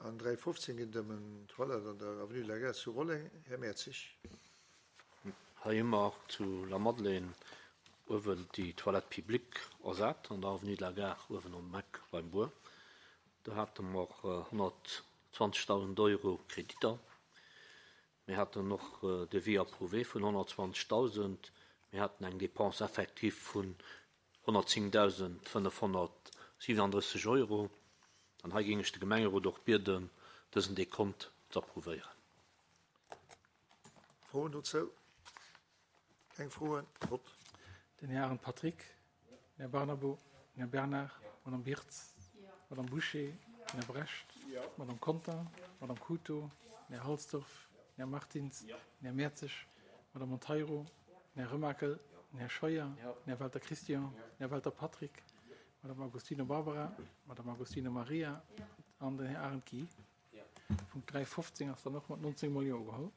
An 3,15 geet et ëm en Toilette an der Avenue de la Gare zu Rolleng. Här Mertzig. Hei hu mer zu Lamadelaine uewen déi Toilette publique ersat an der Avenue de la Gare uewen um Eck beim Buer. Do hate mer 120.000 Euro Kreditter. Mir haten och Devis approuvé vun 120.000. Mir haten eng Dépense effective vun 110.537 Euro. An hei géing ech de Gemengerot och bieden, dësen Dekont ze approuvéieren. Froen dozou? Keng Froen? Vott. Den Här Arendt Patrick, den Här Barnabo, den Här Bernard, d'Madame Birtz, d'Madame Bouché, den Här Brecht, d'Madame Conter, d'Madame Couto, den Här Halsdorf, den Här Martins, den Här Mertzig, d'Madame Monteiro, den Här Remakel, den Här Scheuer, den Här Welter Christian, den Här Welter Patrick, d'Madame Agostino Barbara, d'Madame Agostino Maria an den Här Arendt Guy. Punkt 3.15 ass dann och mat 19 mol Jo ugeholl.